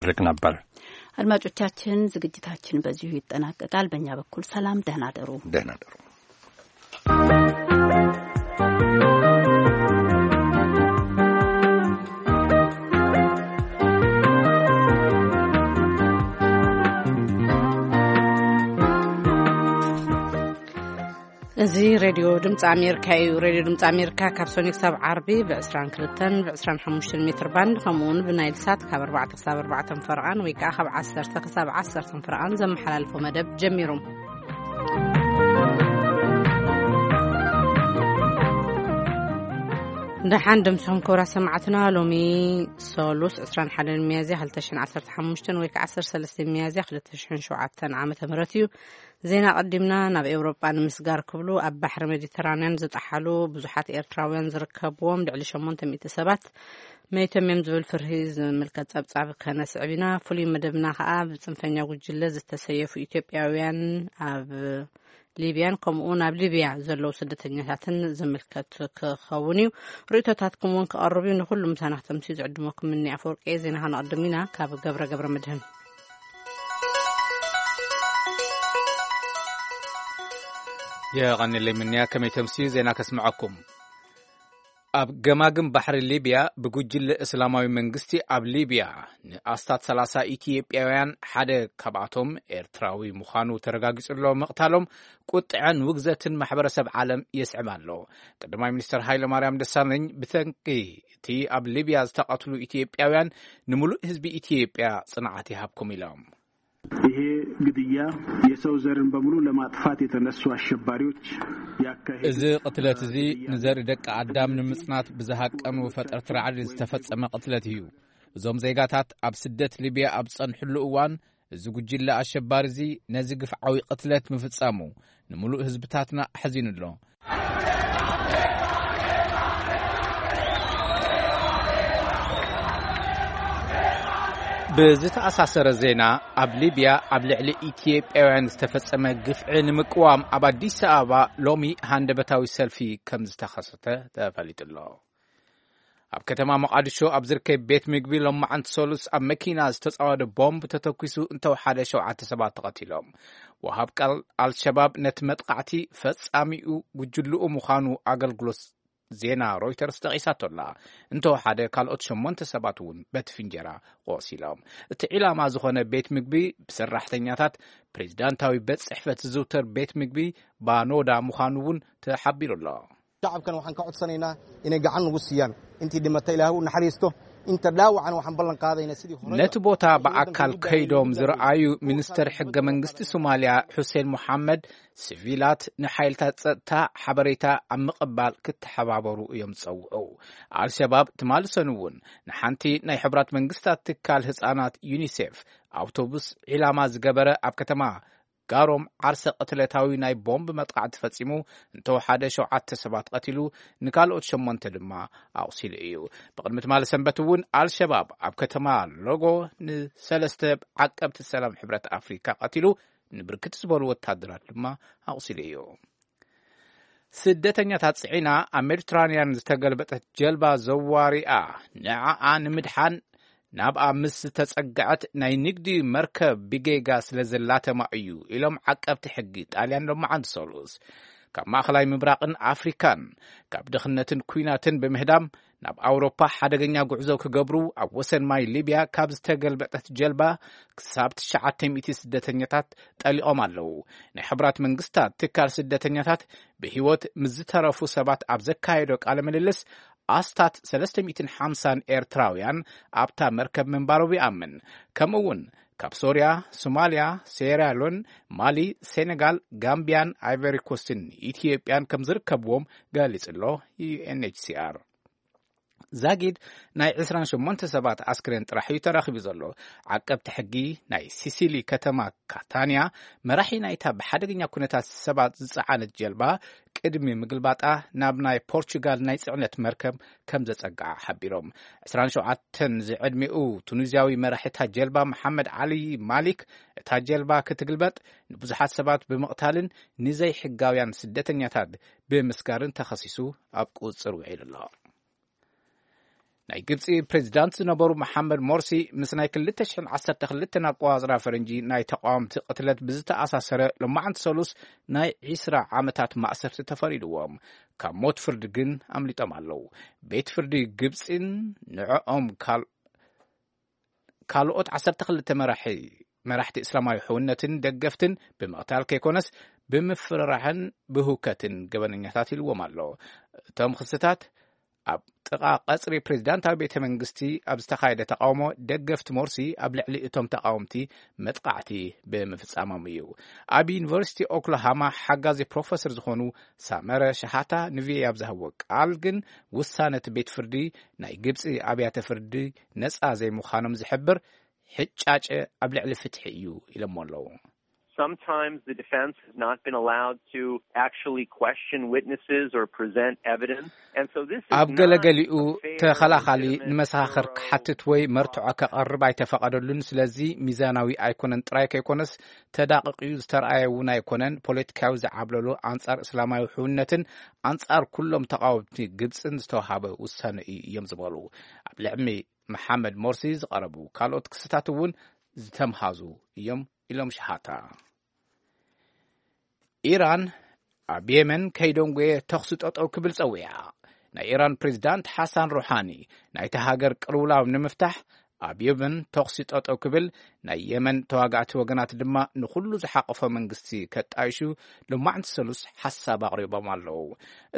ርክ ነበር። አድማጮቻችን፣ ዝግጅታችን በዚሁ ይጠናቀቃል። በእኛ በኩል ሰላም፣ ደህና ደሩ። ደህና ደሩ። እዚ ሬድዮ ድምፂ ኣሜሪካ እዩ። ሬድዮ ድምፂ ኣሜሪካ ካብ ሰኞ ክሳብ ዓርቢ ብ22 ብ25 ሜትር ባንድ፣ ከምኡ እውን ብናይል ሳት ካብ ኣርባዕተ ክሳብ ኣርባዕተ ፈረቓን ወይ ከዓ ካብ ዓሰርተ ክሳብ ዓሰርተ ፈረቓን ዘመሓላልፎ መደብ ጀሚሩ። ደሓን ደምስኹም ክቡራት ሰማዕትና። ሎሚ ሰሉስ ዕስራን ሓደን ሚያዝያ ክልተ ሽሕን ዓሰርተ ሓሙሽተን ወይ ከዓ ዓሰርተ ሰለስተ ሚያዝያ ክልተ ሽሕን ሸውዓተን ዓመተ ምህረት እዩ። ዜና ቀዲምና ናብ ኤውሮጳ ንምስጋር ክብሉ ኣብ ባሕሪ ሜዲተራንያን ዝጠሓሉ ብዙሓት ኤርትራውያን ዝርከብዎም ልዕሊ ሸሞንተ ሚእቲ ሰባት መይቶም እዮም ዝብል ፍርሂ ዝምልከት ጸብጻብ ከነስዕብ ኢና። ፍሉይ መደብና ከኣ ብጽንፈኛ ጉጅለ ዝተሰየፉ ኢትዮጵያውያን ኣብ ሊብያን ከምኡ ናብ ሊብያ ዘለዉ ስደተኛታትን ዝምልከት ክኸውን እዩ። ርእይቶታትኩም እውን ክቐርብ እዩ። ንኹሉ ምሳና ክተምስዩ ዝዕድመኩም ምኒ ኣፈወርቂ። ዜና ከነቕድም ኢና ካብ ገብረ ገብረ መድህን። የቐንለይ ምንያ፣ ከመይ ተምስዩ ዜና ከስምዐኩም። ኣብ ገማግም ባሕሪ ሊብያ ብጉጅለ እስላማዊ መንግስቲ ኣብ ሊብያ ንኣስታት ሰላሳ ኢትዮጵያውያን፣ ሓደ ካብኣቶም ኤርትራዊ ምዃኑ ተረጋጊጹ ኣሎ፣ ምቕታሎም ቁጥዐን ውግዘትን ማሕበረሰብ ዓለም የስዕብ ኣሎ። ቀዳማይ ሚኒስተር ሃይለማርያም ደሳለኝ ብሰንኪ እቲ ኣብ ሊብያ ዝተቐትሉ ኢትዮጵያውያን ንምሉእ ህዝቢ ኢትዮጵያ ጽንዓት ይሃብኩም ኢሎም። ይሄ ግድያ የሰው ዘርን በሙሉ ለማጥፋት የተነሱ አሸባሪዎች ያካሄዱት እዚ ቅትለት እዚ ንዘርኢ ደቂ ኣዳም ንምጽናት ብዝሃቀኑ ፈጠርቲ ራዕዲ ዝተፈጸመ ቅትለት እዩ። እዞም ዜጋታት ኣብ ስደት ሊብያ ኣብ ዝጸንሕሉ እዋን፣ እዚ ጉጅለ ኣሸባሪ እዚ ነዚ ግፍዓዊ ቅትለት ምፍጻሙ ንምሉእ ህዝብታትና ኣሕዚኑ ኣሎ። ብዝተኣሳሰረ ዜና፣ ኣብ ሊብያ ኣብ ልዕሊ ኢትዮጵያውያን ዝተፈጸመ ግፍዒ ንምቅዋም ኣብ ኣዲስ ኣበባ ሎሚ ሃንደበታዊ ሰልፊ ከም ዝተኸሰተ ተፈሊጡ ኣሎ። ኣብ ከተማ ሞቃዲሾ ኣብ ዝርከብ ቤት ምግቢ ሎማዓንቲ ሰሉስ ኣብ መኪና ዝተጻወደ ቦምብ ተተኲሱ እንተወሓደ ሸውዓተ ሰባት ተቐቲሎም። ወሃብ ቃል ኣልሸባብ ነቲ መጥቃዕቲ ፈጻሚኡ ጉጅልኡ ምዃኑ ኣገልግሎት ዜና ሮይተርስ ጠቒሳቶ ኣላ። እንተወሓደ ካልኦት ሸሞንተ ሰባት እውን በቲ ፍንጀራ ቆሲሎም። እቲ ዒላማ ዝኾነ ቤት ምግቢ ብሰራሕተኛታት ፕሬዚዳንታዊ ቤት ጽሕፈት ዝዝውተር ቤት ምግቢ ባኖዳ ምዃኑ እውን ተሓቢሩ ኣሎ። Shacabkan waxaan ka codsanaynaa inay gacan nagu siiyaan. Intii dhimatay Ilaahay u naxariisto. Inta dhaawacana waxaan ballan qaadaynaa sidii hore ነቲ ቦታ ብኣካል ከይዶም ዝረኣዩ ሚኒስተር ሕገ መንግስቲ ሶማልያ ሑሴን ሙሓመድ፣ ሲቪላት ንሓይልታት ጸጥታ ሓበሬታ ኣብ ምቕባል ክተሓባበሩ እዮም ዝጸውዑ። ኣልሸባብ ትማሊ ሰኑይ እውን ንሓንቲ ናይ ሕቡራት መንግስታት ትካል ህጻናት ዩኒሴፍ ኣውቶቡስ ዒላማ ዝገበረ ኣብ ከተማ ጋሮም ዓርሰ ቅትለታዊ ናይ ቦምብ መጥቃዕቲ ፈጺሙ፣ እንተወሓደ ሸውዓተ ሰባት ቀቲሉ፣ ንካልኦት ሸሞንተ ድማ ኣቑሲሉ እዩ። ብቕድሚ ትማሊ ሰንበት እውን ኣልሸባብ ኣብ ከተማ ሎጎ ንሰለስተ ዓቀብቲ ሰላም ሕብረት ኣፍሪካ ቀቲሉ፣ ንብርክት ዝበሉ ወታደራት ድማ ኣቑሲሉ እዩ። ስደተኛታት ጽዒና ኣብ ሜዲትራንያን ዝተገልበጠት ጀልባ ዘዋሪኣ ንዓኣ ንምድሓን ናብኣ ምስ ዝተጸግዐት ናይ ንግዲ መርከብ ብጌጋ ስለ ዘላተማ እዩ ኢሎም ዓቀብቲ ሕጊ ጣልያን ሎማዓንቲ ሰሉስ። ካብ ማእከላይ ምብራቕን ኣፍሪካን ካብ ድኽነትን ኲናትን ብምህዳም ናብ ኣውሮፓ ሓደገኛ ጉዕዞ ክገብሩ ኣብ ወሰን ማይ ሊብያ ካብ ዝተገልበጠት ጀልባ ክሳብ ትሽዓተ ሚእቲ ስደተኛታት ጠሊቖም ኣለዉ። ናይ ሕቡራት መንግስታት ትካል ስደተኛታት ብህይወት ምስ ዝተረፉ ሰባት ኣብ ዘካየዶ ቃለ ምልልስ፣ ኣስታት ሰለስተ ሚእትን ሓምሳን ኤርትራውያን ኣብታ መርከብ ምንባሮም ይኣምን። ከምኡ እውን ካብ ሶርያ፣ ሶማልያ፣ ሴራሊዮን፣ ማሊ፣ ሴኔጋል፣ ጋምቢያን ኣይቨሪ ኮስትን ኢትዮጵያን ከም ዝርከብዎም ገሊጹ ኣሎ ዩ ኤን ኤች ሲ ኣር። ዛጊድ ናይ ዕስራን ሸሞንተ ሰባት ኣስክሬን ጥራሕ እዩ ተረኺቡ ዘሎ። ዓቀብቲ ሕጊ ናይ ሲሲሊ ከተማ ካታንያ፣ መራሒ ናይታ ብሓደገኛ ኩነታት ሰባት ዝጸዓነት ጀልባ ቅድሚ ምግልባጣ ናብ ናይ ፖርቹጋል ናይ ጽዕነት መርከብ ከም ዘጸግዓ ሓቢሮም። ዕስራን ሸውዓተን ዝዕድሚኡ ቱኒዝያዊ መራሒ እታ ጀልባ መሓመድ ዓሊ ማሊክ፣ እታ ጀልባ ክትግልበጥ ንብዙሓት ሰባት ብምቕታልን ንዘይሕጋውያን ስደተኛታት ብምስጋርን ተኸሲሱ ኣብ ቁጽጽር ውዒሉ ኣሎ። ናይ ግብፂ ፕሬዚዳንት ዝነበሩ መሓመድ ሞርሲ ምስ ናይ ክልተ ሽሕን ዓሰርተ ክልተን ኣቆፃፅራ ፈረንጂ ናይ ተቃወምቲ ቅትለት ብዝተኣሳሰረ ሎማዓንቲ ሰሉስ ናይ ዒስራ ዓመታት ማእሰርቲ ተፈሪድዎም። ካብ ሞት ፍርዲ ግን ኣምሊጦም ኣለዉ። ቤት ፍርዲ ግብፂን ንዕኦም ካል ካልኦት ዓሰርተ ክልተ መራሒ መራሕቲ እስላማዊ ሕውነትን ደገፍትን ብምቕታል ከይኮነስ ብምፍርራሕን ብህውከትን ገበነኛታት ኢልዎም ኣሎ። እቶም ክስታት ኣብ ጥቓ ቀጽሪ ፕሬዚዳንታዊ ቤተ መንግስቲ ኣብ ዝተኻየደ ተቃውሞ ደገፍቲ ሞርሲ ኣብ ልዕሊ እቶም ተቃወምቲ መጥቃዕቲ ብምፍጻሞም እዩ። ኣብ ዩኒቨርሲቲ ኦክላሃማ ሓጋዚ ፕሮፌሰር ዝኾኑ ሳመረ ሸሃታ ንቪኦኤ ኣብ ዝሃብዎ ቃል ግን ውሳነ እቲ ቤት ፍርዲ ናይ ግብፂ ኣብያተ ፍርዲ ነፃ ዘይምዃኖም ዝሕብር ሕጫጨ ኣብ ልዕሊ ፍትሒ እዩ ኢሎሞ ኣለዉ። Sometimes the defense has not been allowed to actually question witnesses or present evidence. And so this is ኣብ not ገለገሊኡ a fair or ተኸላኻሊ legitimate ንመሳኽር or ክሓትት ወይ መርትዖ ከቐርብ ኣይተፈቐደሉን። ስለዚ ሚዛናዊ ኣይኮነን ጥራይ ከይኮነስ ተዳቕቕዩ ዝተረኣየ እውን ኣይኮነን። ፖለቲካዊ ዝዓብለሉ ኣንጻር እስላማዊ ሕውነትን ኣንጻር ኩሎም ተቓወምቲ ግብፅን ዝተዋሃበ ውሳነ እዩ እዮም ዝበሉ። ኣብ ልዕሚ መሓመድ ሞርሲ ዝቐረቡ ካልኦት ክስታት እውን ዝተምሃዙ እዮም ኢሎም ሸሃታ። ኢራን ኣብ የመን ከይደንጎየ ተኹሲ ጠጠው ክብል ጸዊዓ። ናይ ኢራን ፕሬዚዳንት ሓሳን ሩሓኒ ናይቲ ሃገር ቅልውላው ንምፍታሕ ኣብ የመን ተኹሲ ጠጠው ክብል ናይ የመን ተዋጋእቲ ወገናት ድማ ንኹሉ ዝሓቆፈ መንግስቲ ከጣይሹ ሎማዕንቲ ሰሉስ ሓሳብ ኣቕሪቦም ኣለዉ።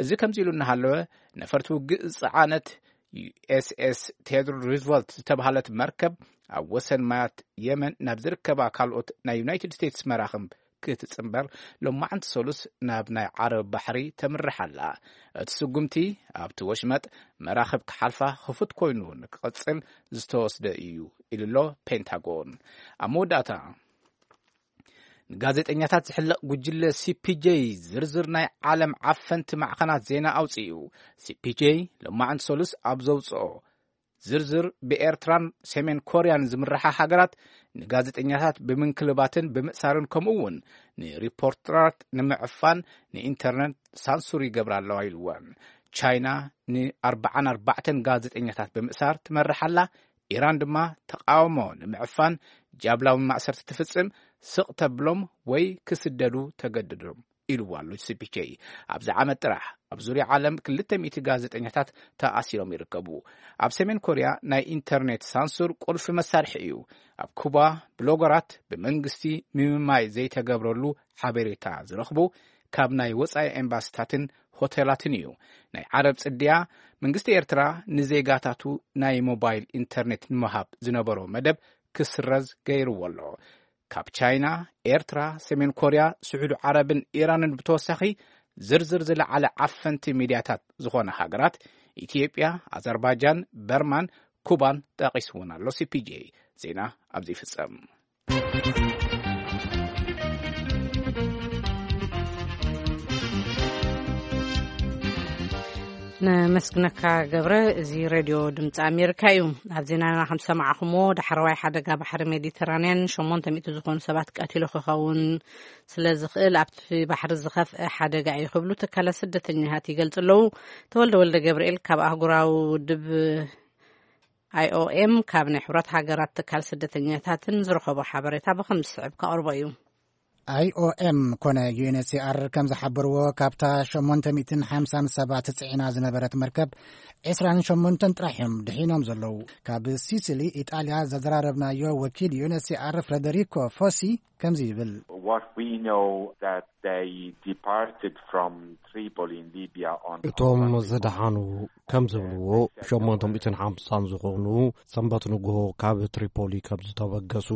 እዚ ከምዚ ኢሉ እናሃለወ ነፈርቲ ውግእ ዝጸዓነት ዩ ኤስ ኤስ ቴድሮር ሩዝቨልት ዝተባህለት መርከብ ኣብ ወሰን ማያት የመን ናብ ዝርከባ ካልኦት ናይ ዩናይትድ ስቴትስ መራኽብ ክትጽንበር ሎማዕንቲ ሰሉስ ናብ ናይ ዓረብ ባሕሪ ተምርሕ ኣላ። እቲ ስጉምቲ ኣብቲ ወሽመጥ መራኽብ ክሓልፋ ክፉት ኮይኑ ንክቕጽል ዝተወስደ እዩ ኢሉ ኣሎ ፔንታጎን። ኣብ መወዳእታ ንጋዜጠኛታት ዝሕለቕ ጉጅለ ሲ ፒ ጄ ዝርዝር ናይ ዓለም ዓፈንቲ ማዕኸናት ዜና ኣውፅኡ። ሲ ፒ ጄ ሎማዕንቲ ሰሉስ ኣብ ዘውፅኦ ዝርዝር ብኤርትራን ሰሜን ኮርያን ዝምርሓ ሃገራት ንጋዜጠኛታት ብምንክልባትን ብምእሳርን ከምኡ እውን ንሪፖርተራት ንምዕፋን ንኢንተርነት ሳንሱር ይገብራ ኣለዋ ኢልወን። ቻይና ንኣርባዓን ኣርባዕተን ጋዜጠኛታት ብምእሳር ትመርሕ ኣላ። ኢራን ድማ ተቃውሞ ንምዕፋን ጃብላዊ ማእሰርቲ ትፍጽም፣ ስቕ ተብሎም ወይ ክስደዱ ተገድዶም ኢልዋ ኣሎ ሲ ፒ ጄ። ኣብዚ ዓመት ጥራሕ ኣብ ዙርያ ዓለም ክልተ ሚእቲ ጋዜጠኛታት ተኣሲሮም ይርከቡ። ኣብ ሰሜን ኮርያ ናይ ኢንተርኔት ሳንሱር ቁልፊ መሳርሒ እዩ። ኣብ ኩባ ብሎገራት ብመንግስቲ ምምማይ ዘይተገብረሉ ሓበሬታ ዝረኽቡ ካብ ናይ ወጻኢ ኤምባሲታትን ሆቴላትን እዩ። ናይ ዓረብ ጽድያ መንግስቲ ኤርትራ ንዜጋታቱ ናይ ሞባይል ኢንተርኔት ንምሃብ ዝነበሮ መደብ ክስረዝ ገይርዎ ኣሎ። ካብ ቻይና፣ ኤርትራ፣ ሰሜን ኮርያ፣ ስዑዲ ዓረብን ኢራንን ብተወሳኺ ዝርዝር ዝለዓለ ዓፈንቲ ሚድያታት ዝኾነ ሃገራት ኢትዮጵያ፣ ኣዘርባጃን፣ በርማን፣ ኩባን ጠቒስውን ኣሎ። ሲ ፒ ጄ ዜና ኣብዚ ይፍጸም። ነመስግነካ ገብረ። እዚ ሬድዮ ድምፂ ኣሜሪካ እዩ። ኣብ ዜናና ከም ሰማዕኹሞ ዳሕረዋይ ሓደጋ ባሕሪ ሜዲተራንያን ሸሞንተ ሚእቲ ዝኾኑ ሰባት ቀቲሉ ክኸውን ስለ ዝኽእል ኣብቲ ባሕሪ ዝኸፍአ ሓደጋ እዩ ክብሉ ትካላት ስደተኛታት ይገልጹ ኣለዉ። ተወልደ ወልደ ገብርኤል ካብ ኣህጉራዊ ውድብ ኣይ ኦ ኤም ካብ ናይ ሕብረት ሃገራት ትካል ስደተኛታትን ዝረኸቦ ሓበሬታ ብኸም ዝስዕብ ከቕርቦ እዩ። ኣይ ኦ ኤም ኮነ ዩ ኤን ኤች ሲ ኣር ከም ዝሓበርዎ ካብታ ሸሞንተ ሚእትን ሓምሳን ሰባት ጽዒና ዝነበረት መርከብ ዕስራን ሸሞንተን ጥራሕ እዮም ድሒኖም ዘለዉ። ካብ ሲሲሊ ኢጣልያ ዘዘራረብናዮ ወኪል ዩ ኤን ኤች ሲ ኣር ፍሬደሪኮ ፎሲ ከምዚ ይብል። What we know that they departed from Tripoli in Libya on እቶም ዝደሓኑ ከም ዝብልዎ ሸሞንተ ሚእትን ሓምሳን ዝኾኑ ሰንበት ንግሆ ካብ ትሪፖሊ ከም ዝተበገሱ፣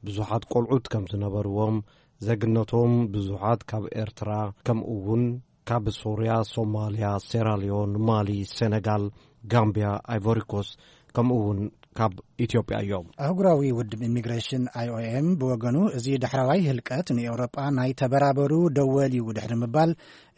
ብዙሓት ቆልዑት ከም ዝነበርዎም፣ ዜግነቶም ብዙሓት ካብ ኤርትራ ከምኡ እውን ካብ ሶርያ፣ ሶማልያ፣ ሴራሊዮን፣ ማሊ፣ ሴነጋል፣ ጋምቢያ፣ ኣይቮሪኮስ ከምኡ እውን ካብ ኢትዮጵያ እዮም። ኣህጉራዊ ውድብ ኢሚግሬሽን ኣይ ኦ ኤም ብወገኑ እዚ ዳሕረዋይ ህልቀት ንኤውሮጳ ናይ ተበራበሩ ደወል እዩ ድሕሪ ምባል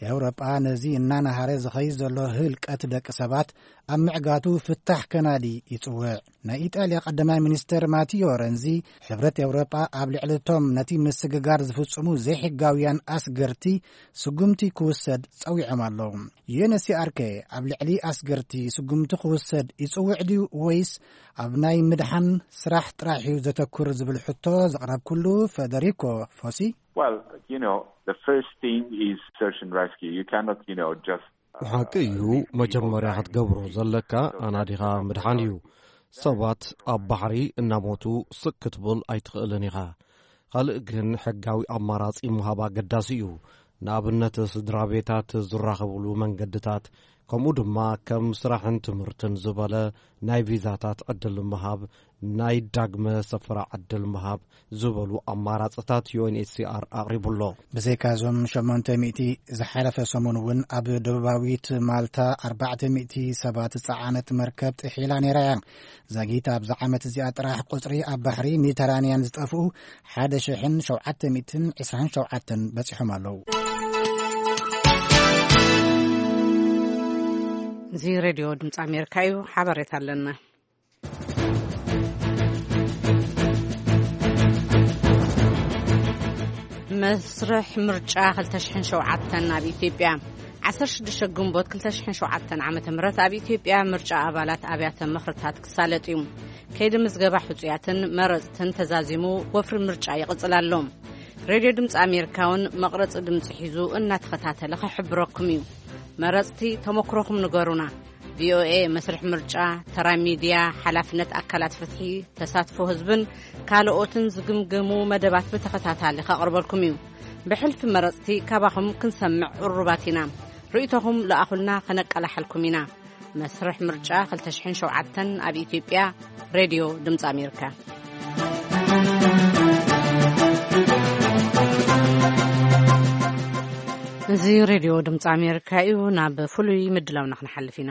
ኤውሮጳ ነዚ እናናሃረ ዝኸይድ ዘሎ ህልቀት ደቂ ሰባት ኣብ ምዕጋቱ ፍታሕ ከናዲ ይጽውዕ። ናይ ኢጣልያ ቀዳማይ ሚኒስተር ማቲዮ ረንዚ፣ ሕብረት ኤውሮጳ ኣብ ልዕሊ እቶም ነቲ ምስግጋር ዝፍጽሙ ዘይሕጋውያን ኣስገርቲ ስጉምቲ ክውሰድ ጸዊዖም ኣለዉ። ዩኤንኤችሲኣር ከ ኣብ ልዕሊ ኣስገርቲ ስጉምቲ ክውሰድ ይጽውዕ ድዩ፣ ወይስ ኣብ ናይ ምድሓን ስራሕ ጥራሕ እዩ ዘተኩር ዝብል ሕቶ ዘቕረብኩሉ፣ ፈደሪኮ ፎሲ፣ Well, you know, the first thing is search and rescue. You cannot, you know, just ብሓቂ እዩ፣ መጀመርያ ክትገብሮ ዘለካ ኣናዲኻ ምድሓን እዩ። ሰባት ኣብ ባሕሪ እናሞቱ ስክ ክትብል ኣይትኽእልን ኢኻ። ካልእ ግን ሕጋዊ ኣማራጺ ምሃብ ኣገዳሲ እዩ። ንኣብነት፣ ስድራ ቤታት ዝራኸብሉ መንገድታት፣ ከምኡ ድማ ከም ስራሕን ትምህርትን ዝበለ ናይ ቪዛታት ዕድል ምሃብ፣ ናይ ዳግመ ሰፈራ ዕድል ምሃብ ዝበሉ ኣማራጽታት ዩኤንኤችሲኣር ኣቕሪቡ ኣሎ። ብዘይካ እዞም ሸሞንተ ሚእቲ፣ ዝሓለፈ ሰሙን እውን ኣብ ደቡባዊት ማልታ ኣርባዕተ ሚእቲ ሰባት ዝጸዓነት መርከብ ጥሒላ ነይራ እያ። ዛጊት ኣብዛ ዓመት እዚኣ ጥራሕ ቁጽሪ ኣብ ባሕሪ ሜዲተራንያን ዝጠፍኡ ሓደ ሽሕን ሸውዓተ ሚእትን ዕስራን ሸውዓተን በጺሖም ኣለዉ። እዚ ሬድዮ ድምፂ ኣሜሪካ እዩ። ሓበሬታ ኣለና። መስርሕ ምርጫ ክልተ ሽሕን ሸውዓተን ኣብ ኢትዮጵያ። ዓሰርተ ሽዱሽተ ግንቦት ክልተ ሽሕን ሸውዓተን ዓመተ ምህረት ኣብ ኢትዮጵያ ምርጫ ኣባላት ኣብያተ ምኽርታት ክሳለጥ እዩ። ከይዲ ምዝገባ ሕጹያትን መረጽትን ተዛዚሙ፣ ወፍሪ ምርጫ ይቕጽል ኣሎ። ሬድዮ ድምፂ ኣሜሪካ እውን መቕረጺ ድምፂ ሒዙ እናተኸታተለ ክሕብረኩም እዩ። መረጽቲ፣ ተመክሮኹም ንገሩና። ቪኦኤ መስርሕ ምርጫ፣ ተራ ሚድያ፣ ሓላፍነት ኣካላት ፍትሒ፣ ተሳትፎ ህዝብን ካልኦትን ዝግምገሙ መደባት ብተኸታታሊ ከቕርበልኩም እዩ። ብሕልፊ መረጽቲ ካባኹም ክንሰምዕ ቅሩባት ኢና። ርእይቶኹም ለኣኹልና፣ ከነቀላሕልኩም ኢና። መስርሕ ምርጫ ክልተ ሽሕን ሸውዓተን ኣብ ኢትዮጵያ፣ ሬድዮ ድምፂ ኣሜሪካ። እዚ ሬድዮ ድምፂ ኣሜሪካ እዩ። ናብ ፍሉይ ምድላውና ክንሓልፍ ኢና።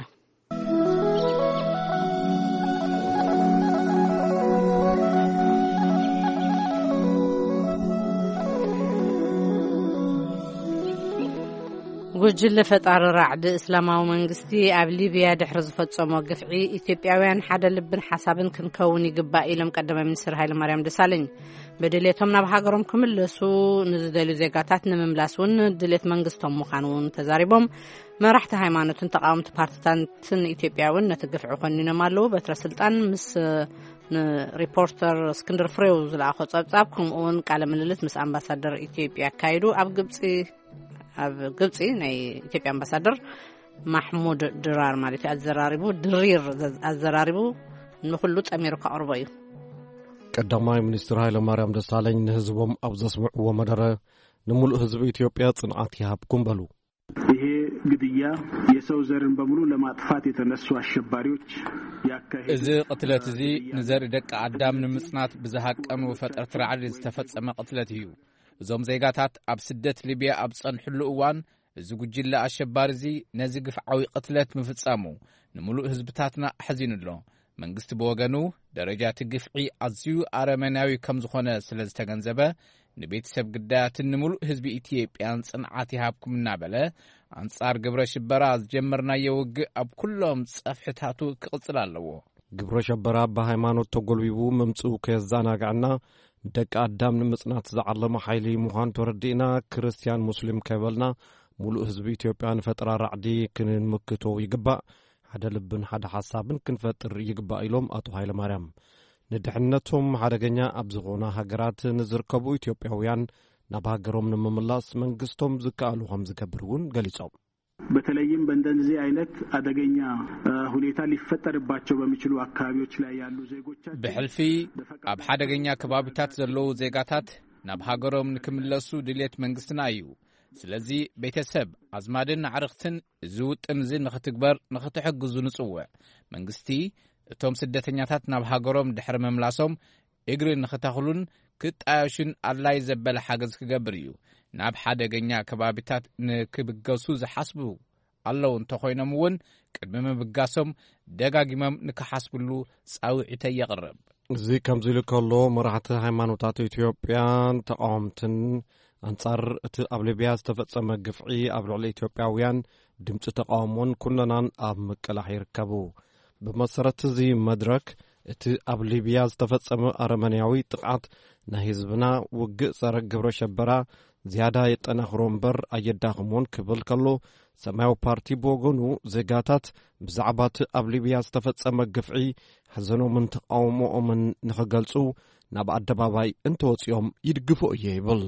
ጉጅለ ፈጣሪ ራዕዲ እስላማዊ መንግስቲ ኣብ ሊብያ ድሕሪ ዝፈጸሞ ግፍዒ፣ ኢትዮጵያውያን ሓደ ልብን ሓሳብን ክንከውን ይግባእ ኢሎም ቀዳማይ ሚኒስትር ሃይለማርያም ደሳለኝ። ብድሌቶም ናብ ሃገሮም ክምለሱ ንዝደልዩ ዜጋታት ንምምላስ እውን ድሌት መንግስቶም ምዃኑ እውን ተዛሪቦም። መራሕቲ ሃይማኖትን ተቃወምቲ ፓርቲታትን ኢትዮጵያ እውን ነቲ ግፍዒ ኮኒኖም ኣለዉ። በትረ ስልጣን ምስ ንሪፖርተር እስክንድር ፍሬው ዝለኣኾ ጸብጻብ፣ ከምኡ እውን ቃለ ምልልስ ምስ ኣምባሳደር ኢትዮጵያ ኣካይዱ። ኣብ ግብጺ ኣብ ግብጺ ናይ ኢትዮጵያ ኣምባሳደር ማሕሙድ ድራር ማለት እዩ ኣዘራሪቡ፣ ድሪር ዘ-፣ ኣዘራሪቡ ንኹሉ ጸሚሩ ከቕርቦ እዩ። ቀዳማይ ሚኒስትር ሃይለማርያም ደሳለኝ ንህዝቦም ኣብ ዘስምዕዎ መደረ፣ ንምሉእ ህዝቢ ኢትዮጵያ ጽንዓት ይሃብኩም በሉ። ይሄ ግድያ የሰው ዘርን በሙሉ ለማጥፋት የተነሱ አሸባሪዎች ያካሄዱት እዚ ቅትለት እዚ ግድያ ንዘርኢ ደቂ ኣዳም ንምጽናት ብዝሃቀኑ ፈጠርቲ ራዕዲ ዝተፈጸመ ቅትለት እዩ። እዞም ዜጋታት ኣብ ስደት ሊብያ ኣብ ዝጸንሕሉ እዋን፣ እዚ ጉጅለ ኣሸባሪ እዚ ነዚ ግፍዓዊ ቅትለት ምፍጻሙ ንምሉእ ህዝብታትና ኣሕዚኑ ኣሎ። መንግስቲ ብወገኑ፣ ደረጃ እቲ ግፍዒ ኣዝዩ ኣረመናዊ ከም ዝኾነ ስለ ዝተገንዘበ፣ ንቤተሰብ ግዳያትን ንምሉእ ህዝቢ ኢትዮጵያን ጽንዓት ይሃብኩም እናበለ፣ ኣንጻር ግብረ ሽበራ ዝጀመርናዮ ውግእ ኣብ ኩሎም ጸፍሕታቱ ክቕጽል ኣለዎ። ግብረ ሸበራ ብሃይማኖት ተጎልቢቡ ምምጽኡ ከየዘናግዐና፣ ንደቂ ኣዳም ንምጽናት ዝዓለመ ሓይሊ ምዃኑ ተረዲእና፣ ክርስትያን ሙስሊም ከይበልና፣ ሙሉእ ህዝቢ ኢትዮጵያ ንፈጠራ ራዕዲ ክንምክቶ ይግባእ። ሓደ ልብን ሓደ ሓሳብን ክንፈጥር ይግባእ ኢሎም ኣቶ ሃይለማርያም። ንድሕነቶም ሓደገኛ ኣብ ዝኾና ሃገራት ንዝርከቡ ኢትዮጵያውያን ናብ ሃገሮም ንምምላስ መንግስቶም ዝከኣሉ ከም ዝገብር እውን ገሊጾም። በተለይም በእንደዚህ አይነት አደገኛ፣ እ፣ ሁኔታ ሊፈጠርባቸው በሚችሉ አካባቢዎች ላይ ያሉ ዜጎቻችን ብሕልፊ ኣብ ሓደገኛ ከባቢታት ዘለዉ ዜጋታት ናብ ሃገሮም ንክምለሱ ድሌት መንግስትና እዩ። ስለዚ ቤተሰብ፣ ኣዝማድን ኣዕርኽትን እዚ ውጥን እዚ ንኽትግበር ንኽትሕግዙ ንጽውዕ። መንግስቲ እቶም ስደተኛታት ናብ ሃገሮም ድሕሪ ምምላሶም እግሪ ንኽተኽሉን ክጣየሹን ኣድላይ ዘበለ ሓገዝ ክገብር እዩ። ናብ ሓደገኛ ከባቢታት ንክብገሱ ዝሓስቡ ኣለዉ እንተኾይኖም እውን፣ ቅድሚ ምብጋሶም ደጋጊሞም ንክሓስብሉ ጻውዒተይ የቕርብ። እዚ ከምዚ ኢሉ ከሎ፣ መራሕቲ ሃይማኖታት ኢትዮጵያን ተቃወምትን ኣንጻር እቲ ኣብ ሊብያ ዝተፈጸመ ግፍዒ ኣብ ልዕሊ ኢትዮጵያውያን ድምጺ ተቓውሞን ኩነናን ኣብ ምቅላሕ ይርከቡ። ብመሰረት እዚ መድረክ፣ እቲ ኣብ ሊብያ ዝተፈጸመ ኣረመኔያዊ ጥቕዓት ናይ ህዝብና ውግእ ጸረ ግብረ ሸበራ ዝያዳ የጠናኽሮ እምበር ኣየዳኽሞን ክብል ከሎ፣ ሰማያዊ ፓርቲ ብወገኑ ዜጋታት ብዛዕባ እቲ ኣብ ሊብያ ዝተፈጸመ ግፍዒ ሓዘኖምን ተቓውሞኦምን ንኽገልጹ ናብ ኣደባባይ እንተወጺኦም ይድግፎ እየ ይብል።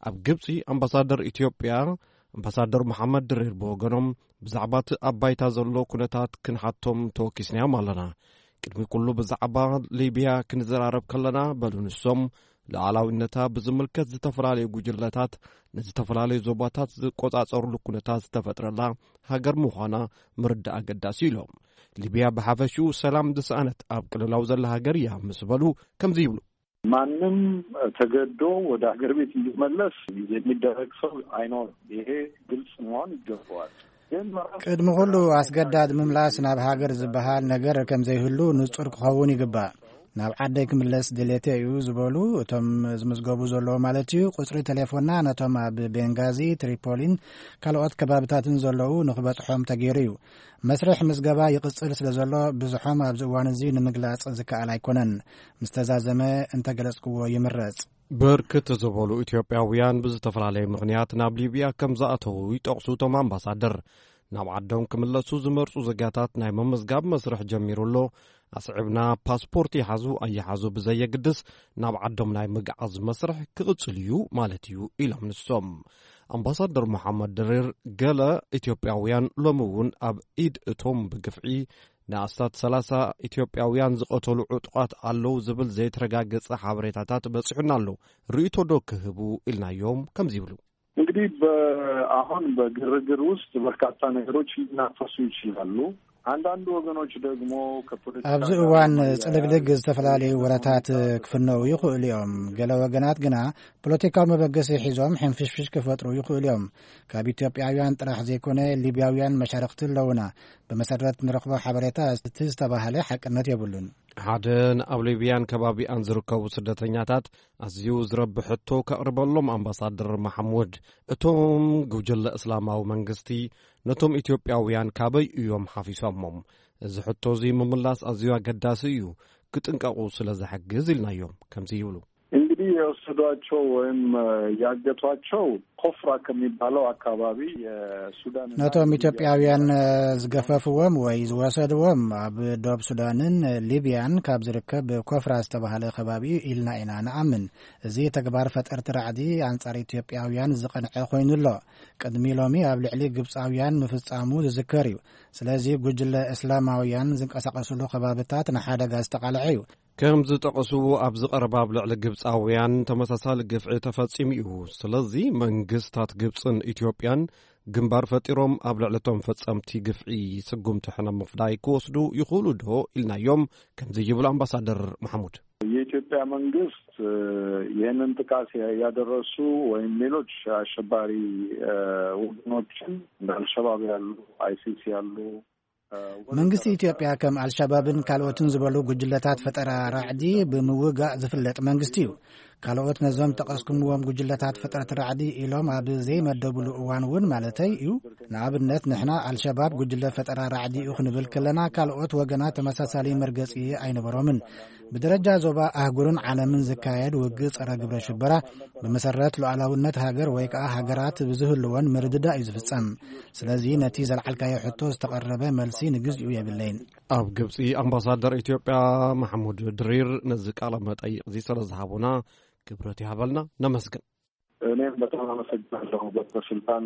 ኣብ ግብጺ ኣምባሳደር ኢትዮጵያ ኣምባሳደር መሓመድ ድሪር ብወገኖም ብዛዕባ እቲ ኣብ ባይታ ዘሎ ኩነታት ክንሓቶም ተወኪስናዮም ኣለና። ቅድሚ ኩሉ ብዛዕባ ሊብያ ክንዘራረብ ከለና በሉ ንሶም፣ ሉዓላዊነታ ብዝምልከት ዝተፈላለዩ ጉጅለታት ንዝተፈላለዩ ዞባታት ዝቆጻጸሩሉ ኩነታት ዝተፈጥረላ ሃገር ምዃና ምርዳእ ኣገዳሲ ኢሎም። ሊብያ ብሓፈሽኡ ሰላም ዝሰኣነት ኣብ ቅልውላው ዘላ ሃገር እያ ምስ በሉ ከምዚ ይብሉ። ማንም ተገዶ ወደ ሀገር ቤት እንዲመለስ የሚደረግ ሰው አይኖርም። ይሄ ግልጽ መሆን ይገባዋል። ግን መራር ቅድሚ ኩሉ ኣስገዳድ ምምላስ ናብ ሃገር ዝበሃል ነገር ከም ዘይህሉ ንጹር ክኸውን ይግባእ። ናብ ዓደይ ክምለስ ድሌተ እዩ ዝበሉ እቶም ዝምዝገቡ ዘለዉ ማለት እዩ። ቁጽሪ ቴሌፎንና ነቶም ኣብ ቤንጋዚ፣ ትሪፖሊን ካልኦት ከባብታትን ዘለዉ ንኽበጽሖም ተገይሩ እዩ። መስርሕ ምዝገባ ይቕጽል ስለ ዘሎ፣ ብዝሖም ኣብዚ እዋን እዚ ንምግላጽ ዝከኣል ኣይኮነን። ምስ ተዛዘመ እንተገለጽክዎ ይምረጽ። ብርክት ዝበሉ ኢትዮጵያውያን ብዝተፈላለየ ምኽንያት ናብ ሊብያ ከም ዝኣተዉ ይጠቕሱ እቶም ኣምባሳደር። ናብ ዓዶም ክምለሱ ዝመርጹ ዜጋታት ናይ ምምዝጋብ መስርሕ ጀሚሩ ኣሎ። ኣስዒብና ፓስፖርት ይሓዙ ኣይሓዙ ብዘየግድስ፣ ናብ ዓዶም ናይ ምግዓዝ መስርሕ ክቕጽል እዩ ማለት እዩ ኢሎም ንሶም። ኣምባሳደር መሓመድ ድሪር፣ ገለ ኢትዮጵያውያን ሎሚ እውን ኣብ ኢድ እቶም ብግፍዒ ንኣስታት ሰላሳ ኢትዮጵያውያን ዝቐተሉ ዕጡቓት ኣለዉ ዝብል ዘይተረጋገጸ ሓበሬታታት በጺሑና ኣሎ። ርእይቶ ዶ ክህቡ ኢልናዮም ከምዚ ይብሉ። እንግዲህ በ-፣ አሁን በግርግር ውስጥ በርካታ ነገሮች ሊናፈሱ ይችላሉ። አንዳንድ ወገኖች ደግሞ ከፖለቲካ ኣብዚ ጋር እዋን ማያያዝ ጽልግልግ ዝተፈላለዩ ወረታት ክፍነዉ ይኽእሉ እዮም። ገለ ወገናት ግና ፖለቲካዊ መበገሲ ሒዞም ሕንፍሽፍሽ ክፈጥሩ ይኽእሉ እዮም። ካብ ኢትዮጵያውያን ጥራሕ ዘይኮነ ሊብያውያን መሻርኽቲ ኣለዉና። ብመሰረት ንረኽቦ ሓበሬታ እቲ ዝተባህለ ሓቅነት የብሉን። ሓደ ንኣብ ሊብያን ከባቢኣን ዝርከቡ ስደተኛታት ኣዝዩ ዝረብሕ ሕቶ ከቕርበሎም ኣምባሳደር መሓሙድ፣ እቶም ጉጅለ እስላማዊ መንግስቲ ነቶም ኢትዮጵያውያን ካበይ እዮም ሓፊሶሞም? እዚ ሕቶ እዚ ምምላስ ኣዝዩ ኣገዳሲ እዩ፣ ክጥንቀቑ ስለ ዝሕግዝ ኢልናዮም ከምዚ ይብሉ። እንግዲህ የወሰዷቸው ወይም ያገቷቸው ኮፍራ ከሚባለው አካባቢ የሱዳን ነቶም ኢትዮጵያውያን ዝገፈፍዎም ወይ ዝወሰድዎም ኣብ ዶብ ሱዳንን ሊብያን ካብ ዝርከብ ኮፍራ ዝተባህለ ከባቢ እዩ ኢልና ኢና ንኣምን። እዚ ተግባር ፈጠርቲ ራዕዲ ኣንጻር ኢትዮጵያውያን ዝቐንዐ ኮይኑ ኣሎ። ቅድሚ ሎሚ ኣብ ልዕሊ ግብጻውያን ምፍጻሙ ዝዝከር እዩ። ስለዚ ጉጅለ እስላማውያን ዝንቀሳቐስሉ ከባብታት ንሓደጋ ዝተቓልዐ እዩ። ከም ዝጠቐስዎ ኣብዚ ቀረባ ኣብ ልዕሊ ግብጻውያን ተመሳሳሊ ግፍዒ ተፈጺሙ እዩ። ስለዚ መንግስታት ግብጽን ኢትዮጵያን ግንባር ፈጢሮም ኣብ ልዕሊ እቶም ፈጸምቲ ግፍዒ ስጉምቲ ሕነ ምፍዳይ ክወስዱ ይኽእሉ ዶ ኢልናዮም ከምዚ ይብሉ ኣምባሳደር መሓሙድ። የኢትዮጵያ መንግስት ይህንን ጥቃት ያደረሱ ወይም ሌሎች አሸባሪ ወገኖችን እንደ አልሸባብ ያሉ፣ አይሲስ ያሉ መንግስቲ ኢትዮጵያ ከም ኣልሸባብን ካልኦትን ዝበሉ ጉጅለታት ፈጠራ ራዕዲ ብምውጋእ ዝፍለጥ መንግስቲ እዩ። ካልኦት ነዞም ጠቐስኩምዎም ጉጅለታት ፈጠረት ራዕዲ ኢሎም ኣብ ዘይመደብሉ እዋን እውን ማለተይ እዩ። ንኣብነት ንሕና ኣልሸባብ ጉጅለ ፈጠራ ራዕዲ እዩ ክንብል ከለና ካልኦት ወገናት ተመሳሳሊ መርገጺ ኣይነበሮምን። ብደረጃ ዞባ ኣህጉርን ዓለምን ዝካየድ ውግእ ጸረ ግብረ ሽበራ ብመሰረት ሉዓላውነት ሃገር ወይ ከኣ ሃገራት ብዝህልወን ምርድዳእ እዩ ዝፍጸም። ስለዚ ነቲ ዘልዓልካዮ ሕቶ ዝተቐረበ መልሲ ንግዚኡ የብለይን። ኣብ ግብጺ ኣምባሳደር ኢትዮጵያ ማሕሙድ ድሪር ነዚ ቃለ መጠይቕ እዚ ስለ ዝሃቡና ክብረት ይሃበልና፣ ነመስግን። እኔም በጣም አመሰግናለሁ። በስልጣን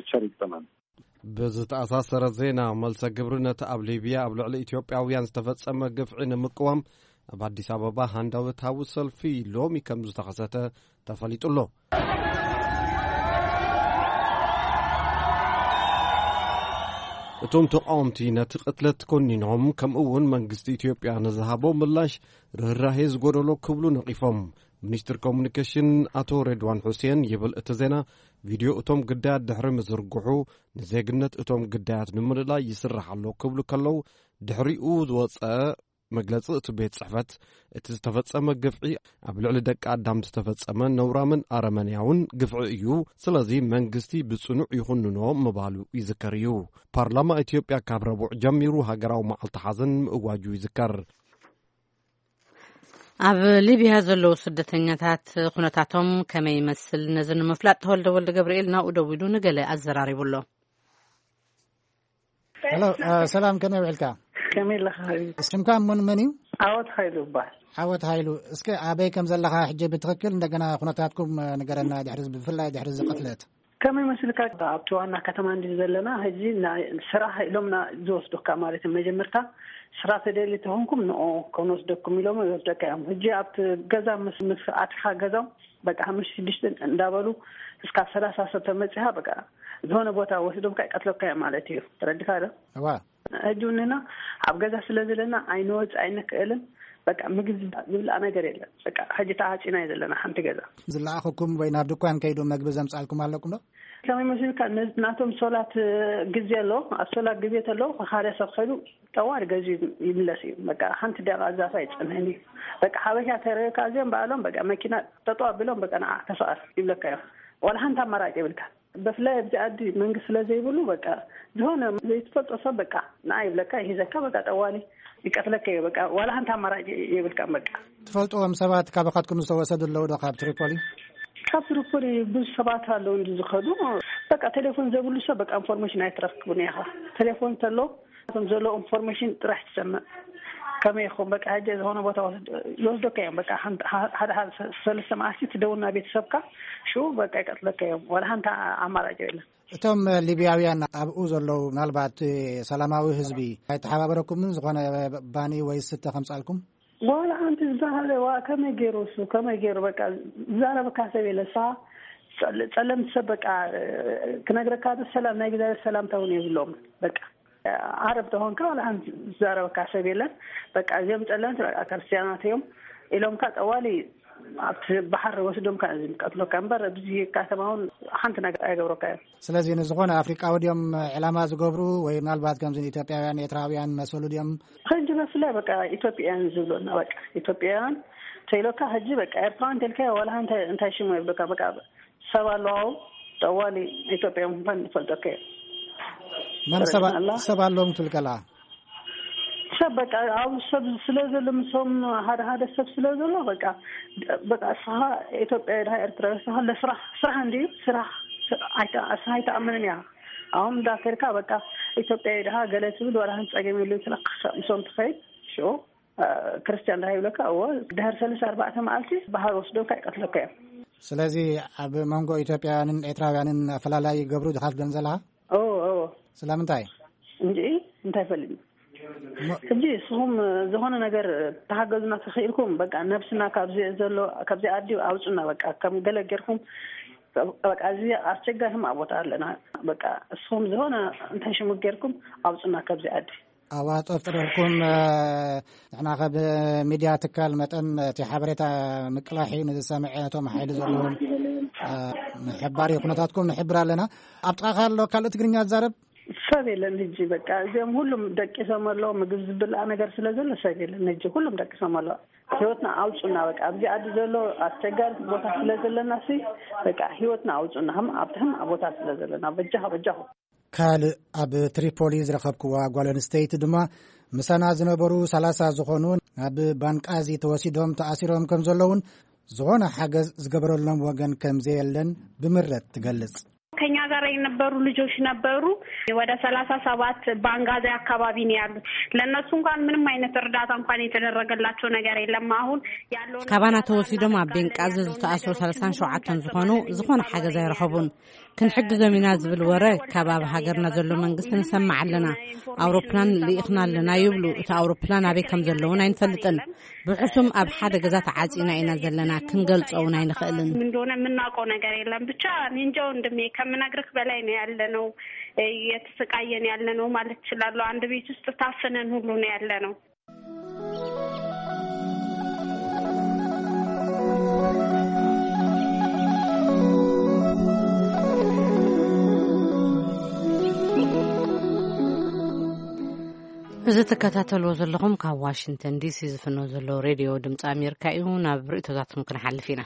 ቸር ይግጠመን። ብዝተኣሳሰረ ዜና፣ መልሰ ግብሪ ነቲ ኣብ ሊብያ ኣብ ልዕሊ ኢትዮጵያውያን ዝተፈጸመ ግፍዒ ንምቅዋም ኣብ ኣዲስ ኣበባ ሃንዳውታዊ ሰልፊ ሎሚ ከም ዝተኸሰተ ተፈሊጡ ኣሎ። እቶም ተቃወምቲ ነቲ ቅትለት ኮኒኖም፣ ከምኡ እውን መንግስቲ ኢትዮጵያ ንዝሃቦ ምላሽ ርህራሄ ዝጎደሎ ክብሉ ነቒፎም። ሚኒስትር ኮሙኒኬሽን ኣቶ ሬድዋን ሑሴን ይብል እቲ ዜና፣ ቪድዮ እቶም ግዳያት ድሕሪ ምዝርግሑ ንዜግነት እቶም ግዳያት ንምልላይ ይስራሕ ኣሎ ክብሉ ከለዉ፣ ድሕሪኡ ዝወጸ መግለጺ እቲ ቤት ጽሕፈት፣ እቲ ዝተፈጸመ ግፍዒ ኣብ ልዕሊ ደቂ ኣዳም ዝተፈጸመ ነውራምን ኣረመንያውን ግፍዒ እዩ። ስለዚ መንግስቲ ብጽኑዕ ይኹንኖ ምባሉ ይዝከር እዩ። ፓርላማ ኢትዮጵያ ካብ ረቡዕ ጀሚሩ ሃገራዊ መዓልቲ ሓዘን ምእዋጁ ይዝከር። ኣብ ሊብያ ዘለዉ ስደተኛታት ኩነታቶም ከመይ ይመስል? ነዚ ንምፍላጥ ተወልደ ወልደ ገብርኤል ናብኡ ደዊሉ ንገለ ኣዘራሪቡ ኣሎ። ሄሎ፣ እ፣ ሰላም፣ ከመይ ውዕልካ? ከመይ ኣለኻ ሓቢቢ? ስምካ መን፣ መን እዩ? ዓወት ሃይሉ እባል። ዓወት ሃይሉ፣ እስከ ኣበይ ከም ዘለኻ ሕጂ ብትኽክል እንደገና ኩነታትኩም፣ እ፣ ንገረና፣ ድሕሪ፣ ብፍላይ ድሕሪ እዚ ቅትለት። ከመይ መስልካ? ኣብቲ ዋና ከተማ እንዲ ዘለና፣ ሕጂ ናይ ስራሕ ኢሎምና ዝወስዱካ ማለት እዩ። መጀመርታ ስራሕ ተደሊ ተኾንኩም ንኦ ክንወስደኩም ኢሎም ይወስደካ እዮም። ሕጂ ኣብቲ ገዛ ምስ፣ ምስ ኣትኻ ገዛም በቃ ሓሙሽተ ሽዱሽተ እንዳበሉ እስካብ ሰላሳ ሰብ ተመጺኻ በቃ ዝኾነ ቦታ ወስዶምካ ይቀትለካ እዮም ማለት እዩ። ተረዲኻ ዶ? እዋ። ሕጂ እውንና ኣብ ገዛ ስለ ዘለና ኣይንወጽእ ኣይንክእልን። በቃ ምግቢ ዝብላዕ ነገር የለን። በቃ ሕጂ ተዓጺና እዩ ዘለና ሓንቲ ገዛ። ዝለኣኹኩም ወይ ናብ ድኳን ከይዱ መግቢ ዘምጻልኩም ኣለኩም ዶ? ከመይ መሲልካ ነ-፣ ናቶም ሶላት ግዜ ኣሎ። ኣብ ሶላት ግዜ ተሎ ሓደ ሰብ ከይዱ ጠዋሪ ገዚ ይምለስ እዩ። በቃ ሓንቲ ደቂቃ ዛፍ ኣይጸንሕን እዩ። በቃ ሓበሻ ተረካ እዚኦም በዓሎም በቃ መኪና ጠጠው ኣቢሎም በቃ ንዓ ተፈቐር ይብለካ እዮም። ዋላ ሓንቲ ኣማራጭ የብልካ። ብፍላይ ኣብዚ ዓዲ መንግስቲ ስለ ዘይብሉ በቃ ዝኾነ ዘይትፈልጦ ሰብ በቃ ንዓ ይብለካ ይሂዘካ በቃ ጠዋሊ ይቀትለካ እዩ። በቃ ዋላ ሓንቲ ኣማራጭ የብልካ በቃ። ትፈልጥዎም ሰባት ካባኻትኩም ዝተወሰዱ ኣለዉ ዶ ካብ ትሪፖሊ? ካብ ትሪፖሊ ብዙ ሰባት ኣለዉ እንዲ ዝኸዱ በቃ ቴሌፎን ዘብሉ ሰብ በቃ ኢንፎርሜሽን ኣይትረክብን ኢኻ። ቴሌፎን ተሎ እቶም ዘሎ ኢንፎርሜሽን ጥራሕ ትሰምዕ። ከመይ ይኹን በቃ ሕጂ ዝኾነ ቦታ ወስድ-፣ ይወስደካ እዮም። በቃ ሓንቲ፣ ሓ-፣ ሓደ፣ ሓደ ሰ-፣ ሰለስተ መዓልቲ ትደውል ናብ ቤተሰብካ ሽኡ በቃ ይቀትለካ እዮም። ዋላ ሓንቲ ኣማራጭ የለን። እቶም ሊብያውያን ኣብኡ ዘለዉ ምናልባት ሰላማዊ ህዝቢ ኣይተሓባበረኩምን? ዝኾነ ባኒ ወይ ስተ ከምጻልኩም? ዋላ ሓንቲ ዝበሃለ ዋ ከመይ ገይሩ እሱ ከመይ ገይሩ በቃ ዝዛረበካ ሰብ የለ። እሳ ጸለ-፣ ጸለምቲ ሰብ በቃ ክነግረካ ዶ ሰላም ናይ እግዚኣብሔር ሰላምታ እውን የብሎም። በቃ ዓረብ ተኾንካ ዋላ ሓንቲ ዝዛረበካ ሰብ የለን። በቃ እዚኦም ጸለምቲ በቃ ክርስትያናት እዮም ኢሎምካ ጠዋሊ ኣብቲ ባሕሪ ወስዶምካ እዮም ዝቀትሎካ እምበር ኣብዚ ከተማ እውን ሓንቲ ነገር ኣይገብረካ እዮም። ስለዚ ንዝኾነ ኣፍሪቃዊ ድዮም ዕላማ ዝገብሩ ወይ ምናልባት ከምዚ ኢትዮጵያውያን ኤርትራውያን መሰሉ ድዮም? ሕጂ ብፍላይ በቃ ኢትዮጵያውያን ዝብሉና በቃ ኢትዮጵያውያን ተይሎካ ሕጂ በቃ ኤርትራውያን ተልካ ዋላ እንታይ እንታይ ሽሙ የብሉካ በቃ ሰብ ኣለዋው ጠዋሊ ኢትዮጵያ ምኳን ይፈልጠካ እዩ። መን ሰብ ኣላ? ሰብ ኣለዎም ትብል ከላ? ሰብ በቃ ኣብ ሰብ ስለ ዘሎ ምሶም ሓደ ሓደ ሰብ ስለ ዘሎ በቃ በቃ እስኻ ኢትዮጵያ ድሃ ኤርትራ እስኻ ለስራሕ ስራሕ እንዲ ስራሕ ስራሕ ኣይተ-፣ እስኻ ኣይተኣምንን እያ። ኣሁን እንዳከድካ በቃ ኢትዮጵያ ድሃ ገለ ትብል ወላ ጸገም የሉ ትለካ ምሶም ትኸይድ ሽኡ እ፣ ክርስትያን ድሃ ይብለካ እዎ ድሕር ሰለስተ ኣርባዕተ መዓልቲ ባህር ወስዶካ ይቀትለካ እዮም። ስለዚ ኣብ መንጎ ኢትዮጵያውያንን ኤርትራውያንን ኣፈላላይ ይገብሩ ድኻ ትብለን ዘለኻ? እዎ እዎ። ስለምንታይ? እንጂ እንታይ ፈልጥ እሞ ሕጂ እስኹም ዝኾነ ነገር ተሓገዙና ተኽኢልኩም በቃ ነብስና ካብዚ ዘሎ ካብዚ ኣዲ ኣውፁና በቃ ከም ገለ ጌርኩም በቃ እዚ ኣስቸጋሪ ህማቅ ቦታ ኣለና በቃ እስኹም ዝኾነ እንታይ ሽሙ ጌርኩም ኣውፁና ካብዚ ኣዲ። ኣዋ ጠፍጥረልኩም። ንሕና ከብ ሚድያ ትካል መጠን እቲ ሓበሬታ ምቅላሕ እዩ ንዝሰምዐ ነቶም ሓይሊ ዘለዎም ምሕባር እዩ ኩነታትኩም ንሕብር ኣለና። ኣብ ጥቃኻ ኣሎ ካልእ ትግርኛ ዝዛረብ ሰብ የለን። ሕጂ በቃ እዚኦም ሁሉም ደቂሶም ኣሎ ምግብ ዝብልኣ ነገር ስለ ዘሎ ሰብ የለን። ሕጂ ሁሉም ደቂሶም ኣሎ። ህይወትና ኣውፁና በቃ ኣብዚ ዓዲ ዘሎ ኣስቸጋሪ ቦታ ስለ ዘለና ሲ በቃ ህይወትና ኣውፁና ከም ኣብቲ ከም ቦታ ስለ ዘለና በጃኻ በጃኹ። ካልእ ኣብ ትሪፖሊ ዝረኸብክዋ ጓል ኣንስተይቲ ድማ ምሳና ዝነበሩ ሰላሳ ዝኾኑ ናብ ባንቃዚ ተወሲዶም ተኣሲሮም ከም ዘለውን ዝኾነ ሓገዝ ዝገበረሎም ወገን ከም ዘየለን ብምረት ትገልጽ። ከኛ ጋር የነበሩ ልጆች ነበሩ። ወደ ሰላሳ ሰባት ባንጋዚ አካባቢ ነው ያሉት። ለእነሱ እንኳን ምንም አይነት እርዳታ እንኳን የተደረገላቸው ነገር የለም። አሁን ያለው ካባና ተወሲዶም ኣብ ቤንቃዚ ዝተኣስሩ ሰላሳን ሸውዓተን ዝኾኑ ዝኾነ ሓገዝ ኣይረኸቡን። ክንሕግዞም ኢና ዝብል ወረ ካብ ኣብ ሃገርና ዘሎ መንግስቲ ንሰምዕ ኣለና። ኣውሮፕላን ልኢኽና ኣለና ይብሉ። እቲ ኣውሮፕላን ኣበይ ከም ዘለውን ኣይንፈልጥን። ብሕሱም ኣብ ሓደ ገዛ ተዓጺና ኢና ዘለና። ክንገልጾ እውን ኣይንኽእልን። ምን እንደሆነ የምናውቀው ነገር የለም። ብቻ እኔ እንጃ ወንድሜ፣ ከምነግርህ በላይ ነው ያለነው። እየተሰቃየን ያለነው ማለት እችላለሁ። አንድ ቤት ውስጥ ታፍነን ሁሉ ነው ያለነው። እዚ ትከታተልዎ ዘለኹም ካብ ዋሽንግተን ዲሲ ዝፍኖ ዘሎ ሬድዮ ድምፂ ኣሜሪካ እዩ። ናብ ርእቶታትኩም ክንሓልፍ ኢና።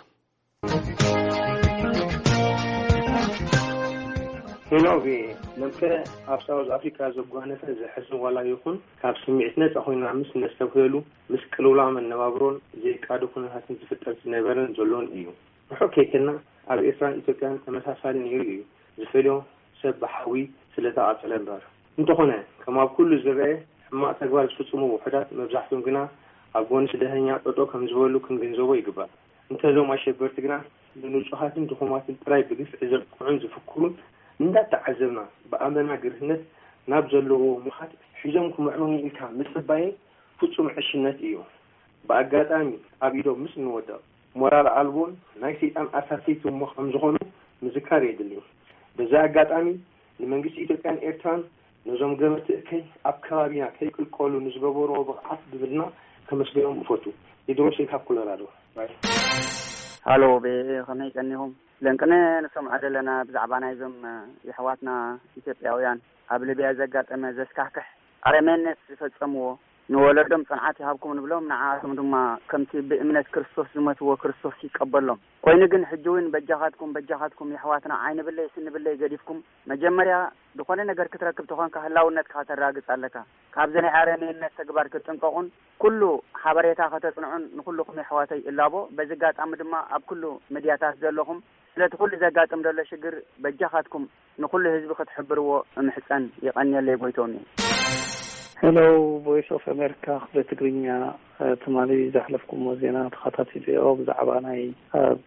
ሄሎ ቪኦኤ፣ ነምከ ኣብ ሳውዝ ኣፍሪካ ዘጓነፈ ዘሕዝን ዋላ ይኹን፣ ካብ ስምዒት ነፃ ኮይና ምስ ነስተብህለሉ፣ ምስ ቅልውላው መነባብሮን ዘይቃዶ ኩነታትን ዝፍጠር ዝነበረን ዘሎን እዩ። ርሑቕ ከይከድና፣ ኣብ ኤርትራን ኢትዮጵያን ተመሳሳሊ ነይሩ እዩ። ዝፈልዮ ሰብ ብሓዊ ስለተቓጸለ እምበር። እንተኾነ፣ ከም ኣብ ኩሉ ዝረኣ ሕማቕ ተግባር ዝፍጽሙ ውሑዳት፣ መብዛሕትኦም ግና ኣብ ጎኒ ስደተኛ ጠጠው ከም ዝበሉ ክንግንዘቦ ይግባእ። እንተዞም ኣሸበርቲ ግና ንንጹሃትን ድኹማትን ጥራይ ብግፍዒ ዘጥቅዑን ዝፍክሩን እንዳተዓዘብና፣ ብኣመና ግርህነት ናብ ዘለዎ ምኻድ ሒዞም ክምዕምኑ ኢልካ ምጽባየይ ፍጹም ዕሽነት እዩ። ብኣጋጣሚ ኣብ ኢዶም ምስ እንወድቕ፣ ሞራል ኣልቦን ናይ ሰይጣን ኣሳሰይቲ እሞ ከም ዝኾኑ ምዝካር የድሊ። በዚ ኣጋጣሚ ንመንግስቲ ኢትዮጵያን ኤርትራን ነዞም ገበርቲ እከይ ኣብ ከባቢና ከይቅልቀሉ ንዝገበርዎ ብቕዓት ብብልና ከመስግኖም እፈቱ። ቴድሮስ እየ ካብ ኮሎራዶ። ባይ። ሃሎ፣ ቤ-፣ ከመይ ቀኒኹም? ለንቅነ ንሰምዖ ዘለና ብዛዕባ ናይዞም፣ እ፣ የሕዋትና ኢትዮጵያውያን ኣብ ሊብያ ዘጋጠመ ዘስካሕክሕ ኣረሜነት ዝፈጸምዎ፣ ንወለዶም ጽንዓት ይሃብኩም ንብሎም፣ ንዓኣቶም ድማ ከምቲ ብእምነት ክርስቶስ ዝመትዎ ክርስቶስ ይቀበሎም። ኮይኑ ግን ሕጂ እውን በጃኻትኩም፣ በጃኻትኩም የሕዋትና ዓይኒ ብለይ ስኒ ብለይ ገዲፍኩም፣ መጀመርያ ዝኾነ ነገር ክትረክብ ተኾንካ ህላውነትካ ከተራግጽ ኣለካ። ካብዚ ናይ ኣረሜነት ተግባር ክትጥንቀቑን ኩሉ ሓበሬታ ከተጽንዑን ንኹልኹም የሕዋተይ እላቦ። በዚ ኣጋጣሚ ድማ ኣብ ኩሉ ሚድያታት ዘለኹም ስለቲ ኩሉ ዘጋጥም ዘሎ ሽግር በጃኻትኩም ንኹሉ ህዝቢ ክትሕብርዎ እምሕጸን። የቐንየለይ ጎይቶም እዩ። ሄሎ፣ ቮይስ ኦፍ ኣሜሪካ ክፍለ ትግርኛ፣ እ፣ ትማሊ ዘሕለፍኩሞ ዜና ተኸታቲለዮ። ብዛዕባ ናይ ኣብ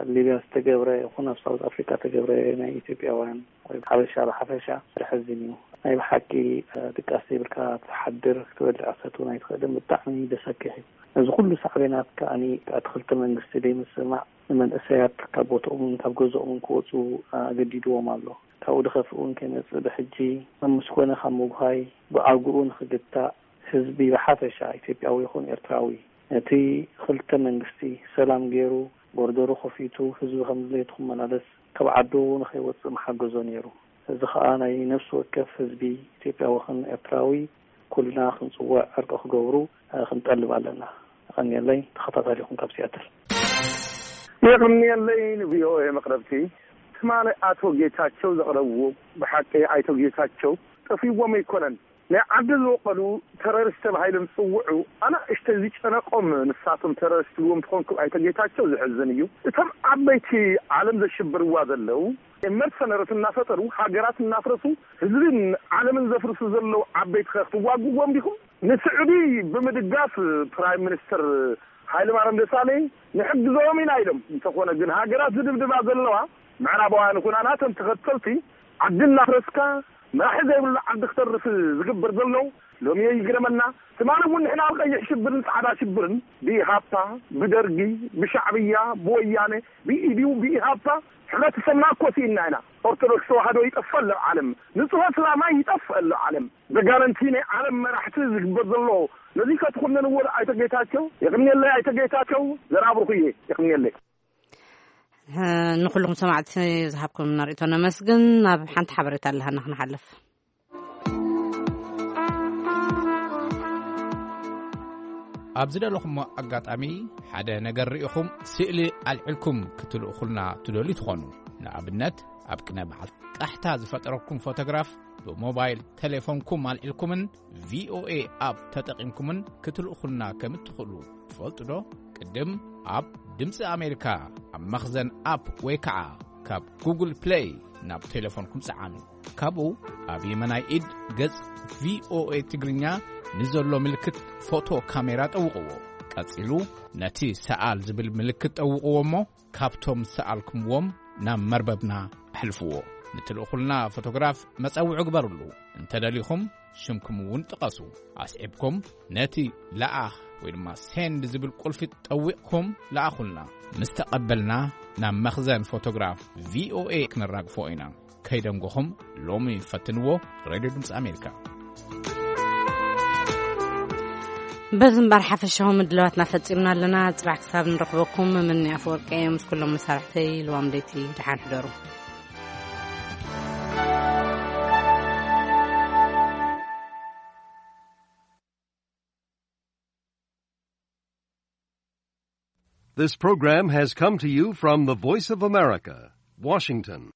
ሊብያ ዝተገብረ ይኹን ኣብ ሳውዝ ኣፍሪካ ዝተገብረ ናይ ኢትዮጵያውያን ወይ ሓበሻ ብሓፈሻ ዘሕዝን እዩ። ናይ ብሓቂ፣ እ፣ ድቃስ ዘይብልካ ትሓድር፣ ክትበልዕ ክትሰቲ ኣይትኽእልን። ብጣዕሚ ዘሰክሕ እዩ። እዚ ኩሉ ሳዕቤናት ከኣኒ እቲ ክልተ መንግስቲ ዘይምስምማዕ ንመንእሰያት ካብ ቦትኦምን ካብ ገዝኦምን ክወፁ ኣገዲድዎም ኣሎ። ካብኡ ዝኸፍእ እውን ከይመፅእ ብሕጂ ኣብ ምስኮነ ካብ ምጉሃይ ብኣግኡ ንኽግታእ ህዝቢ ብሓፈሻ ኢትዮጵያዊ ይኹን ኤርትራዊ ነቲ ክልተ መንግስቲ ሰላም ገይሩ ቦርደሩ ከፊቱ ህዝቢ ከም ድሌቱ ክመላለስ ካብ ዓዱ ንኸይወፅእ ምሓገዞ ነይሩ። እዚ ኸኣ ናይ ነፍሲ ወከፍ ህዝቢ ኢትዮጵያዊ ኹን ኤርትራዊ ኩልና ክንጽውዕ ዕርቂ ክገብሩ፣ እ፣ ክንጠልብ ኣለና። የቐንየለይ፣ ተኸታታሊኹም ካብ ሲያትል። የቐንየለይ ንቪኦኤ መቕረብቲ። ትማሊ ኣቶ ጌታቸው ዘቕረብዎ፣ ብሓቂ ኣይቶ ጌታቸው ጠፊዎም ኣይኮነን። ናይ ዓዲ ዝበቐሉ ተረሪስት ተባሂሎም ዝጽውዑ ኣናእሽተይ ዝጨነቆም ንሳቶም ተረሪስት ትብልዎም ትኾንኩም ኣይቶ ጌታቸው ዘሕዝን እዩ። እቶም ዓበይቲ ዓለም ዘሽብርዋ ዘለዉ መርሰነርስ እናፈጠሩ ሃገራት እናፍረሱ ህዝብን ዓለምን ዘፍርሱ ዘለዉ ዓበይቲ ከ ክትዋግዎም ዲኹም? ንስዑዲ ብምድጋፍ ፕራይም ሚኒስተር ሃይለማርያም ደሳለኝ ንሕግዞም ኢና ኢሎም። እንተኾነ ግን ሃገራት ዝድብድባ ዘለዋ ምዕራባውያን ይኹና ናተን ተኸተልቲ ዓዲ እናፍረስካ መራሒ ዘይብሉ ዓዲ ክተርፍ ዝግበር ዘሎ ሎሚ ይግረመና። ትማሊ እውን ንሕና ኣብ ቀይሕ ሽብርን ጻዕዳ ሽብርን ብኢሃፓ፣ ብደርጊ፣ ብሻዕብያ፣ ብወያነ፣ ብኢዲዩ፣ ብኢሃፓ ሕብረተሰብና እኮ ስኢና ኢና። ኦርቶዶክስ ተዋህዶ ይጠፍእ ኣሎ ዓለም። ንጹህ እስላማይ ይጠፍእ ኣሎ ዓለም። ዘጋነንቲ ናይ ዓለም መራሕቲ ዝግበር ዘሎ ነዚ ከትኹነንዎ ዶ ኣይተ ጌታቸው? የቕንየለይ ኣይተ ጌታቸው፣ ዘራብርኹ እየ። የቕንየለይ። እ፣ ንኹልኹም ሰማዕቲ ዝሃብኩም ርእቶ ነመስግን። ናብ ሓንቲ ሓበሬታ ኣለሃና ክንሓልፍ። ኣብ ዝደለኹሞ ኣጋጣሚ ሓደ ነገር ርኢኹም ስእሊ ኣልዒልኩም ክትልእኹልና ትደልዩ ትኾኑ። ንኣብነት፣ ኣብ ቅነ በዓል ቃሕታ ዝፈጠረኩም ፎቶግራፍ ብሞባይል ቴሌፎንኩም ኣልዒልኩምን ቪኦኤ ኣፕ ተጠቒምኩምን ክትልእኹልና ከም እትኽእሉ ትፈልጡ ዶ? ቅድም ኣብ ድምፂ ኣሜሪካ ኣብ መኽዘን ኣፕ ወይ ከዓ ካብ ጉግል ፕሌይ ናብ ቴሌፎንኩም ፀዓኑ። ካብኡ ኣብ የመናይ ኢድ ገጽ ቪኦኤ ትግርኛ ንዘሎ ምልክት ፎቶ ካሜራ ጠውቕዎ። ቀጺሉ ነቲ ሰኣል ዝብል ምልክት ጠውቕዎ እሞ ካብቶም ሰኣልኩምዎም ናብ መርበብና ኣሕልፍዎ። ንትልእኹልና ፎቶግራፍ መጸውዒ ግበሩሉ። እንተደሊኹም ሽምኩም እውን ጥቀሱ። ኣስዒብኩም ነቲ ለኣኽ ወይ ድማ ሴንድ ዝብል ቁልፊ ጠዊቕኩም ለኣኹልና። ምስ ተቐበልና ናብ መኽዘን ፎቶግራፍ ቪኦኤ ክንራግፎ ኢና። ከይደንጎኹም ሎሚ ፈትንዎ። ሬድዮ ድምፂ ኣሜሪካ። በዚ እምበር ሓፈሻዊ ምድላዋትና ፈጺምና ኣለና። ጽባሕ ክሳብ ንረኽበኩም፣ ምኒ ኣፈወርቂ እየ ምስ ኩሎም መሳርሕተይ። ልዋም ለይቲ ደሓን ሕደሩ። This program has come to you from the Voice of America, Washington.